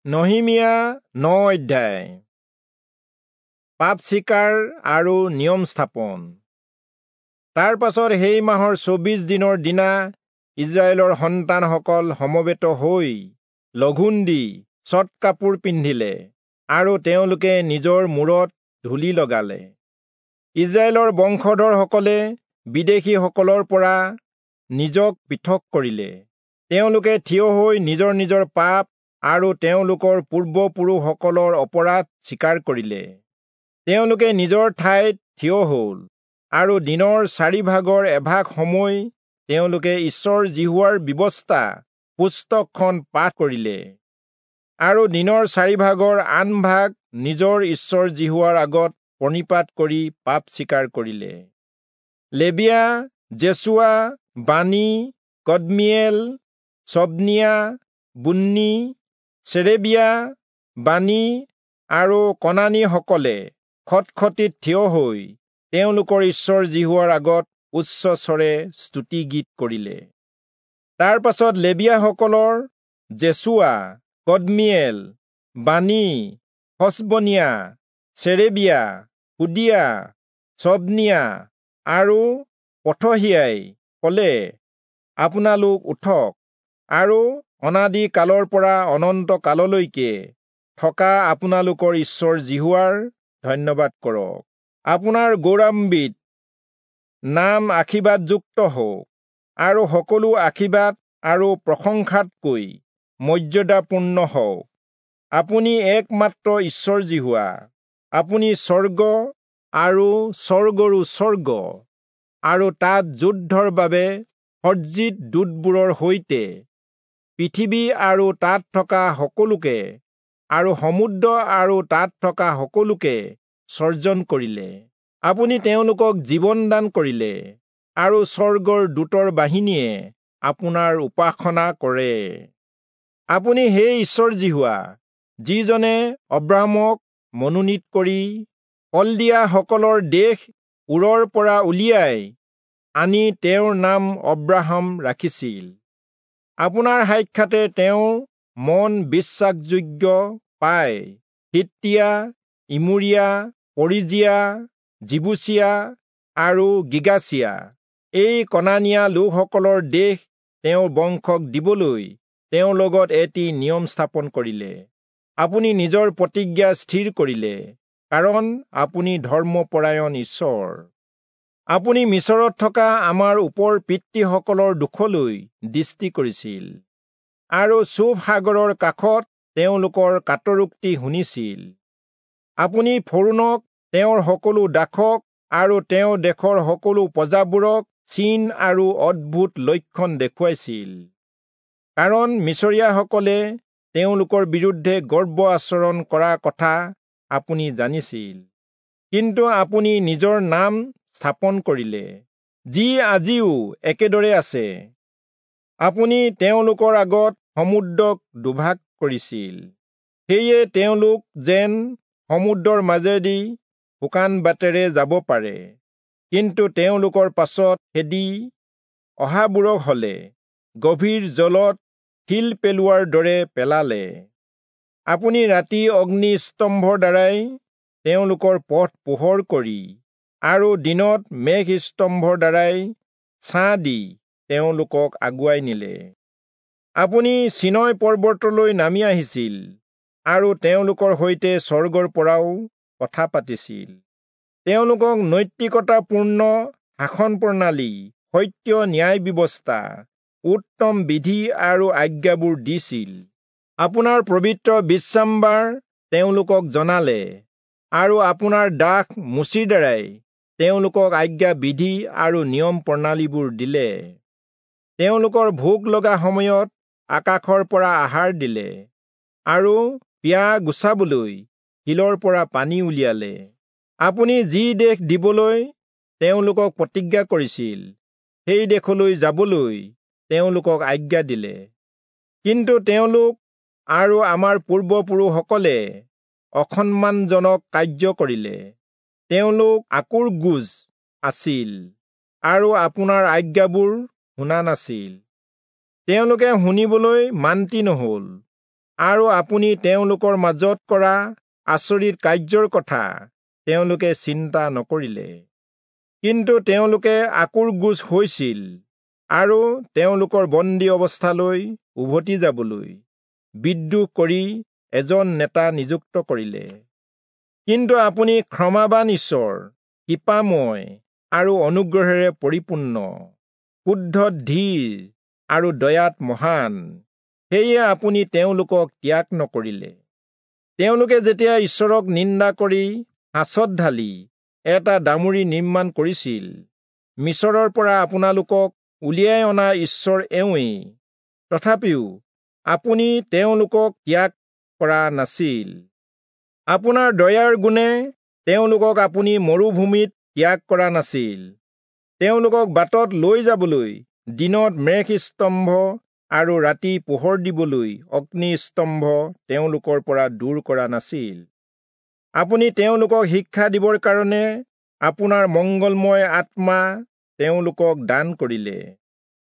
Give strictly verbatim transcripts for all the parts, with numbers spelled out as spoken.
নহিমিয়া ন অধ্যায়। পাপ স্বীকাৰ আৰু নিয়ম স্থাপন। তাৰ পাছত সেই মাহৰ চৌবিশ দিনৰ দিনা ইজৰাইলৰ সন্তানসকল সমবেত হৈ লঘোণ দি চট কাপোৰ পিন্ধিলে আৰু তেওঁলোকে নিজৰ মূৰত ধূলি লগালে। ইজৰাইলৰ বংশধৰসকলে বিদেশীসকলৰ পৰা নিজক পৃথক কৰিলে। তেওঁলোকে থিয় হৈ নিজৰ নিজৰ পাপ আৰু তেওঁলোকৰ পূৰ্বপুৰুষসকলৰ অপৰাধ স্বীকাৰ কৰিলে। তেওঁলোকে নিজৰ ঠাইত থিয় হ'ল আৰু দিনৰ চাৰি ভাগৰ এভাগ সময় তেওঁলোকে ঈশ্বৰ যিহোৱাৰ ব্যৱস্থা পুস্তকখন পাঠ কৰিলে আৰু দিনৰ চাৰি ভাগৰ আন ভাগ নিজৰ ঈশ্বৰ যিহোৱাৰ আগত প্ৰণিপাত কৰি পাপ স্বীকাৰ কৰিলে। লেবিয়া, জেচুৱা, বানী, কদমিয়েল, চবনিয়া, বুন্নী, চেৰেবিয়া, বানী আৰু কনানীসকলে খটখটিত থিয় হৈ তেওঁলোকৰ ঈশ্বৰ যিহোৱাৰ আগত উচ্চস্বৰে স্তুতিগীত কৰিলে। তাৰ পাছত লেবিয়াসকলৰ জেচুৱা, কদমিয়েল, বানী, হচবনিয়া, চেৰেবিয়া, হুদিয়া, চবনিয়া আৰু পথহিয়াই ক'লে, আপোনালোক উঠক আৰু অনাদি কালৰ পৰা অনন্ত কাললৈকে থকা আপোনালোকৰ ঈশ্বৰ যিহোৱাৰ ধন্যবাদ কৰক। আপোনাৰ গৌৰৱান্বিত নাম আশীৰ্বাদযুক্ত হওক আৰু সকলো আশীৰ্বাদ আৰু প্ৰশংসাতকৈ মৰ্যাদাপূৰ্ণ হওক। আপুনি একমাত্ৰ ঈশ্বৰ যিহোৱা। আপুনি স্বৰ্গ আৰু স্বৰ্গৰো স্বৰ্গ আৰু তাত যুদ্ধৰ বাবে সজ্জিত দূতবোৰৰ সৈতে পৃথিৱী আৰু তাত থকা সকলোকে আৰু সমুদ্ৰ আৰু তাত থকা সকলোকে সৰ্জন কৰিলে। আপুনি তেওঁলোকক জীৱন দান কৰিলে আৰু স্বৰ্গৰ দূতৰ বাহিনীয়ে আপোনাৰ উপাসনা কৰে। আপুনি সেই ঈশ্বৰ যিহোৱা, যিজনে অব্ৰাহামক মনোনীত কৰি কলদীয়াসকলৰ দেশ ঊৰৰ পৰা উলিয়াই আনি তেওঁৰ নাম অব্ৰাহাম ৰাখিছিল। আপোনাৰ সাক্ষাতে তেওঁ মন বিশ্বাসযোগ্য পাই হিত্তীয়া, ইমোৰীয়া, পৰিজীয়া, যিবূচীয়া আৰু গিৰ্গাচীয়া এই কনানীয়া লোকসকলৰ দেশ তেওঁৰ বংশক দিবলৈ তেওঁৰ লগত এটি নিয়ম স্থাপন কৰিলে। আপুনি নিজৰ প্ৰতিজ্ঞা স্থিৰ কৰিলে, কাৰণ আপুনি ধৰ্মপৰায়ণ ঈশ্বৰ। আপুনি মিচৰত থকা আমাৰ ওপৰ পিতৃসকলৰ দুখলৈ দৃষ্টি কৰিছিল আৰু চূফ সাগৰৰ কাষত তেওঁলোকৰ কাতৰোক্তি শুনিছিল। আপুনি ফৰোণক, তেওঁৰ সকলো দাসক আৰু তেওঁৰ দেশৰ সকলো প্ৰজাবোৰক চিন আৰু অদ্ভুত লক্ষণ দেখুৱাইছিল, কাৰণ মিচৰীয়াসকলে তেওঁলোকৰ বিৰুদ্ধে গৰ্ব আচৰণ কৰা কথা আপুনি জানিছিল। কিন্তু আপুনি নিজৰ নাম স্থাপন কৰিলে, যি আজিও একেদৰে আছে। আপুনি তেওঁলোকৰ আগত সমুদ্ৰক দুভাগ কৰিছিল, সেয়ে তেওঁলোক যেন সমুদ্ৰৰ মাজেদি শুকান বাটেৰে যাব পাৰে। কিন্তু তেওঁলোকৰ পাছত খেদি অহাবোৰক হলে গভীৰ জলত শিল পেলোৱাৰ দৰে পেলালে। আপুনি ৰাতি অগ্নি স্তম্ভৰ দ্বাৰাই তেওঁলোকৰ পথ পোহৰ কৰি আৰু দিনত মেঘ স্তম্ভৰ দ্বাৰাই ছাঁ দি তেওঁলোকক আগুৱাই নিলে। আপুনি চীনয় পৰ্বতলৈ নামি আহিছিল আৰু তেওঁলোকৰ সৈতে স্বৰ্গৰ পৰাও কথা পাতিছিল। তেওঁলোকক নৈতিকতাপূৰ্ণ শাসন প্ৰণালী, সত্য ন্যায় ব্যৱস্থা, উত্তম বিধি আৰু আজ্ঞাবোৰ দিছিল। আপোনাৰ পবিত্ৰ বিশ্ৰামবাৰ তেওঁলোকক জনালে আৰু আপোনাৰ দাস মোচিৰ দ্বাৰাই তেওঁলোকক আজ্ঞা বিধি আৰু নিয়ম প্ৰণালীবোৰ দিলে। তেওঁলোকৰ ভোক লগা সময়ত আকাশৰ পৰা আহাৰ দিলে আৰু পিয়াহ গুচাবলৈ শিলৰ পৰা পানী উলিয়ালে। আপুনি যি দেশ দিবলৈ তেওঁলোকক প্ৰতিজ্ঞা কৰিছিল, সেই দেশলৈ যাবলৈ তেওঁলোকক আজ্ঞা দিলে। কিন্তু তেওঁলোক আৰু আমাৰ পূৰ্বপুৰুষসকলে অসন্মানজনক কাৰ্য কৰিলে। তেওঁলোক আঁকোৰগোজ আছিল আৰু আপোনাৰ আজ্ঞাবোৰ শুনা নাছিল। তেওঁলোকে শুনিবলৈ মান্তি নহল আৰু আপুনি তেওঁলোকৰ মাজত কৰা আচৰিত কাৰ্যৰ কথা তেওঁলোকে চিন্তা নকৰিলে। কিন্তু তেওঁলোকে আঁকোৰগোজ হৈছিল আৰু তেওঁলোকৰ বন্দী অৱস্থালৈ উভতি যাবলৈ বিদ্ৰোহ কৰি এজন নেতা নিযুক্ত কৰিলে। কিন্তু আপুনি ক্ষমাবান ঈশ্বৰ, কৃপাময় আৰু অনুগ্ৰহেৰে পৰিপূৰ্ণ, ক্ৰোধত ধীৰ আৰু দয়াত মহান, সেয়ে আপুনি তেওঁলোকক ত্যাগ নকৰিলে। তেওঁলোকে যেতিয়া ঈশ্বৰক নিন্দা কৰি সাঁচত ঢালি এটা দামুৰি নিৰ্মাণ কৰিছিল, মিচৰৰ পৰা আপোনালোকক উলিয়াই অনা ঈশ্বৰ এওঁৱেই, তথাপিও আপুনি তেওঁলোকক ত্যাগ কৰা নাছিল। আপোনাৰ দয়াৰ গুণে তেওঁলোকক আপুনি মৰুভূমিত ত্যাগ কৰা নাছিল। তেওঁলোকক বাটত লৈ যাবলৈ দিনত মেঘস্তম্ভ আৰু ৰাতি পোহৰ দিবলৈ অগ্নিস্তম্ভ তেওঁলোকৰ পৰা দূৰ কৰা নাছিল। আপুনি তেওঁলোকক শিক্ষা দিবৰ কাৰণে আপোনাৰ মংগলময় আত্মা তেওঁলোকক দান কৰিলে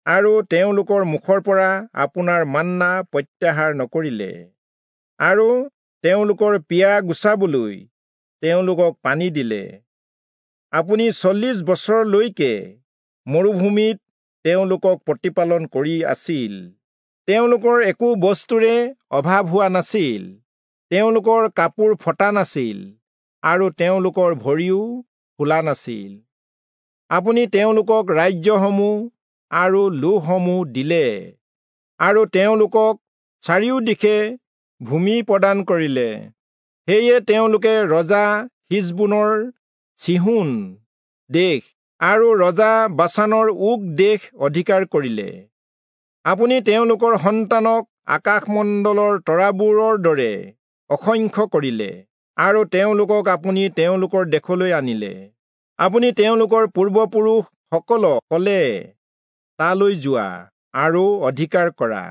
আৰু তেওঁলোকৰ মুখৰ পৰা আপোনাৰ মান্না প্ৰত্যাহাৰ নকৰিলে আৰু তেওঁলোকৰ পিয়াহ গুচাবলৈ তেওঁলোকক পানী দিলে। আপুনি চল্লিশ বছৰলৈকে মৰুভূমিত তেওঁলোকক প্ৰতিপালন কৰি আছিল। তেওঁলোকৰ একো বস্তুৰে অভাৱ হোৱা নাছিল, তেওঁলোকৰ কাপোৰ ফটা নাছিল আৰু তেওঁলোকৰ ভৰিও ফুলা নাছিল। আপুনি তেওঁলোকক ৰাজ্যসমূহ আৰু লোকসমূহ দিলে আৰু তেওঁলোকক চাৰিওদিশে ভূমি প্ৰদান কৰিলে। সেয়ে তেওঁলোকে ৰজা হিচবোনৰ চিহোন দেশ আৰু ৰজা বাচানৰ ওগ দেশ অধিকাৰ কৰিলে। আপুনি তেওঁলোকৰ সন্তানক আকাশমণ্ডলৰ তৰাবোৰৰ দৰে অসংখ্য কৰিলে আৰু তেওঁলোকক আপুনি তেওঁলোকৰ দেশলৈ আনিলে। আপুনি তেওঁলোকৰ পূৰ্বপুৰুষসকলক ক'লে, তালৈ যোৱা আৰু অধিকাৰ কৰা।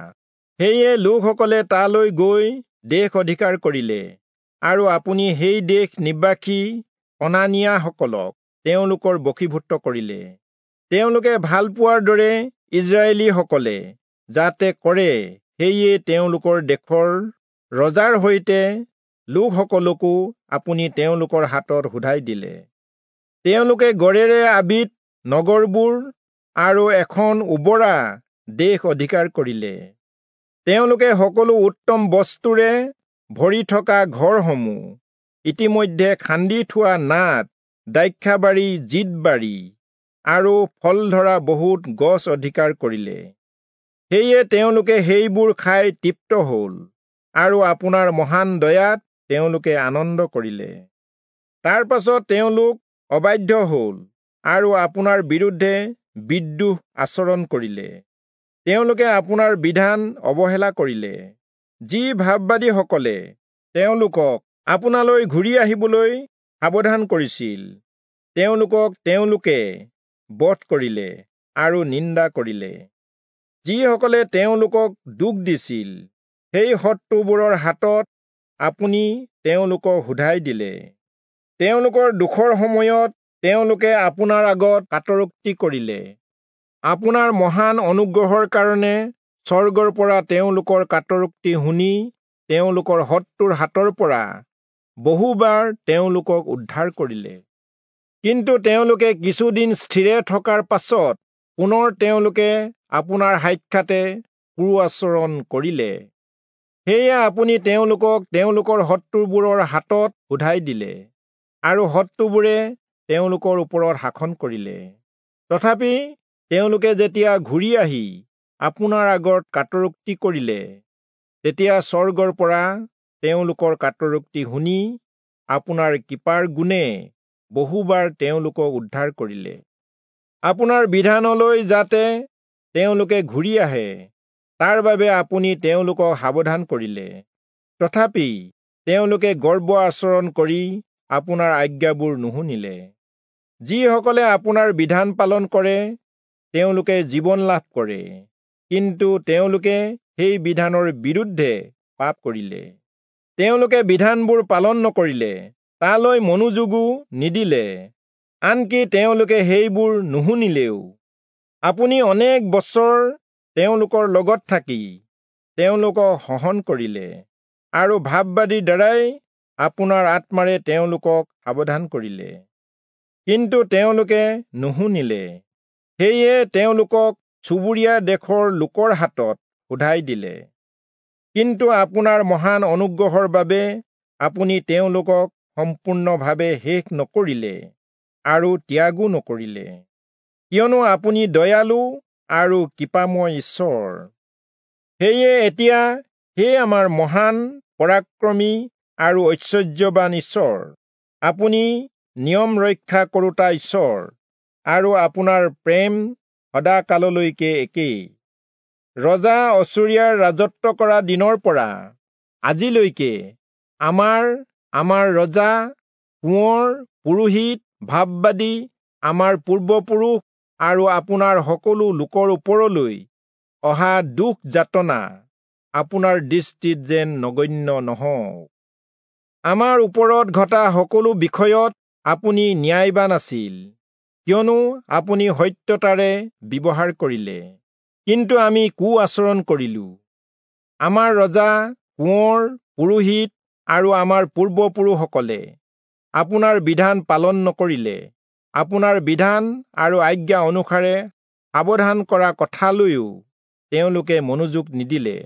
সেয়ে লোকসকলে তালৈ গৈ দেশ অধিকাৰ কৰিলে আৰু আপুনি সেই দেশ নিবাসী কনানীয়াসকলক তেওঁলোকৰ বশীভূত কৰিলে। তেওঁলোকে ভাল পোৱাৰ দৰে ইজৰাইলীসকলে যাতে কৰে, সেয়ে তেওঁলোকৰ দেশৰ ৰজাৰ সৈতে লোকসকলকো আপুনি তেওঁলোকৰ হাতত সোধাই দিলে। তেওঁলোকে গড়েৰে আবিত নগৰবোৰ আৰু এখন উৰ্বৰা দেশ অধিকাৰ কৰিলে। তেওঁলোকে সকলো উত্তম বস্তুৰে ভৰি থকা ঘৰসমূহ, ইতিমধ্যে খান্দি থোৱা নাদ, দ্ৰাক্ষাবাৰী, জিতবাৰী আৰু ফল ধৰা বহুত গছ অধিকাৰ কৰিলে। সেয়ে তেওঁলোকে সেইবোৰ খাই তৃপ্ত হ'ল আৰু আপোনাৰ মহান দয়াত তেওঁলোকে আনন্দ কৰিলে। তাৰ পাছত তেওঁলোক অবাধ্য হ'ল আৰু আপোনাৰ বিৰুদ্ধে বিদ্ৰোহ আচৰণ কৰিলে। তেওঁলোকে আপোনাৰ বিধান অৱহেলা কৰিলে। যি ভাববাদীসকলে তেওঁলোকক আপোনালৈ ঘূৰি আহিবলৈ সাৱধান কৰিছিল, তেওঁলোকক তেওঁলোকে বধ কৰিলে আৰু নিন্দা কৰিলে। যিসকলে তেওঁলোকক দুখ দিছিল, সেই শত্ৰুবোৰৰ হাতত আপুনি তেওঁলোকক সোধাই দিলে। তেওঁলোকৰ দুখৰ সময়ত তেওঁলোকে আপোনাৰ আগত কাতৰোক্তি কৰিলে। আপোনাৰ মহান অনুগ্ৰহৰ কাৰণে স্বৰ্গৰ পৰা তেওঁলোকৰ কাতৰোক্তি শুনি তেওঁলোকৰ শত্ৰুৰ হাতৰ পৰা বহুবাৰ তেওঁলোকক উদ্ধাৰ কৰিলে। কিন্তু তেওঁলোকে কিছুদিন স্থিৰে থকাৰ পাছত পুনৰ তেওঁলোকে আপোনাৰ সাক্ষাতে কুৰ আচৰণ কৰিলে। সেয়ে আপুনি তেওঁলোকক তেওঁলোকৰ শত্ৰুবোৰৰ হাতত সোধাই দিলে আৰু শত্ৰুবোৰে তেওঁলোকৰ ওপৰত শাসন কৰিলে। তথাপি তেওঁলোকে যেতিয়া ঘূৰি আহি আপোনাৰ আগত কাতৰোক্তি কৰিলে, তেতিয়া স্বৰ্গৰ পৰা তেওঁলোকৰ কাতৰোক্তি শুনি আপোনাৰ কৃপাৰ গুণে বহুবাৰ তেওঁলোকক উদ্ধাৰ কৰিলে। আপোনাৰ বিধানলৈ যাতে তেওঁলোকে ঘূৰি আহে, তাৰ বাবে আপুনি তেওঁলোকক সাৱধান কৰিলে। তথাপি তেওঁলোকে গৰ্ব আচৰণ কৰি আপোনাৰ আজ্ঞাবোৰ নুশুনিলে। যিসকলে আপোনাৰ বিধান পালন কৰে, তেওঁলোকে জীৱন লাভ কৰে, কিন্তু তেওঁলোকে সেই বিধানৰ বিৰুদ্ধে পাপ কৰিলে। তেওঁলোকে বিধানবোৰ পালন নকৰিলে, তালৈ মনোযোগো নিদিলে, আনকি তেওঁলোকে সেইবোৰ নুশুনিলেও। আপুনি অনেক বছৰ তেওঁলোকৰ লগত থাকি তেওঁলোকক সহন কৰিলে। আৰু ভাববাদীৰ দ্বাৰাই আপোনাৰ আত্মাৰে তেওঁলোকক সাৱধান কৰিলে, কিন্তু তেওঁলোকে নুশুনিলে। সেয়ে তেওঁলোকক চুবুৰীয়া দেশৰ লোকৰ হাতত সোধাই দিলে। কিন্তু আপোনাৰ মহান অনুগ্ৰহৰ বাবে আপুনি তেওঁলোকক সম্পূৰ্ণভাৱে শেষ নকৰিলে আৰু ত্যাগো নকৰিলে, কিয়নো আপুনি দয়ালু আৰু কৃপাময় ঈশ্বৰ। সেয়ে এতিয়া হে আমাৰ মহান, পৰাক্ৰমী আৰু ঐশ্বৰ্যৱান ঈশ্বৰ, আপুনি নিয়ম ৰক্ষা কৰোঁতা ঈশ্বৰ আৰু আপোনাৰ প্ৰেম সদাকাললৈকে একেই। ৰজা অচূৰীয়াৰ ৰাজত্ব কৰা দিনৰ পৰা আজিলৈকে আমাৰ আমাৰ ৰজা, কোঁৱৰ, পুৰোহিত, ভাববাদী, আমাৰ পূৰ্বপুৰুষ আৰু আপোনাৰ সকলো লোকৰ ওপৰলৈ অহা দুখ যাতনা আপোনাৰ দৃষ্টিত যেন নগণ্য নহওক। আমাৰ ওপৰত ঘটা সকলো বিষয়ত আপুনি ন্যায়বান আছিল, কিয়নো আপুনি সত্যতাৰে ব্যৱহাৰ কৰিলে, কিন্তু আমি কু আচৰণ কৰিলো। আমাৰ ৰজা, কোঁৱৰ, পুৰোহিত আৰু আমাৰ পূৰ্বপুৰুষসকলে আপোনাৰ বিধান পালন নকৰিলে, আপোনাৰ বিধান আৰু আজ্ঞা অনুসাৰে সাৱধান কৰা কথালৈও তেওঁলোকে মনোযোগ নিদিলে।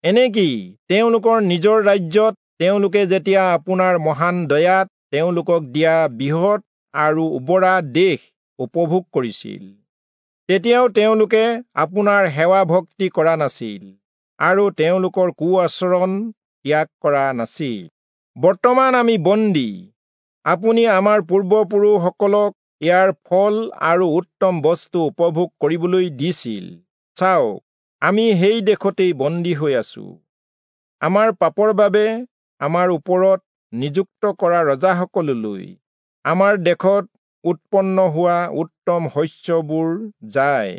এনেকি তেওঁলোকৰ নিজৰ ৰাজ্যত তেওঁলোকে যেতিয়া আপোনাৰ মহান দয়াত তেওঁলোকক দিয়া বৃহৎ আৰু উৰ্বৰা দেশ উপভোগ কৰিছিল, তেতিয়াও তেওঁলোকে আপোনাৰ সেৱা ভক্তি কৰা নাছিল আৰু তেওঁলোকৰ কু আচৰণ ত্যাগ কৰা নাছিল। বৰ্তমান আমি বন্দী। আপুনি আমাৰ পূৰ্বপুৰুষসকলক ইয়াৰ ফল আৰু উত্তম বস্তু উপভোগ কৰিবলৈ দিছিল। চাওক, আমি সেই দেশতেই বন্দী হৈ আছো। আমাৰ পাপৰ বাবে আমাৰ ওপৰত নিযুক্ত কৰা ৰজাসকললৈ আমাৰ দেশত উৎপন্ন হোৱা উত্তম শস্যবোৰ যায়।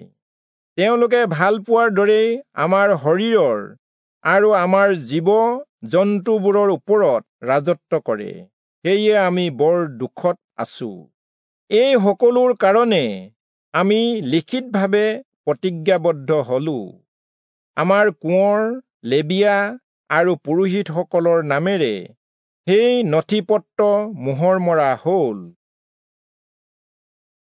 তেওঁলোকে ভাল পোৱাৰ দৰেই আমাৰ শৰীৰৰ আৰু আমাৰ জীৱ জন্তুবোৰৰ ওপৰত ৰাজত্ব কৰে। সেয়ে আমি বৰ দুখত আছো। এই সকলোৰ কাৰণে আমি লিখিতভাৱে প্ৰতিজ্ঞাবদ্ধ হলো। আমাৰ কোঁৱৰ, লেবীয়া আৰু পুৰোহিতসকলৰ নামেৰে সেই নথিপত্ৰ মোহৰ মৰা হ'ল।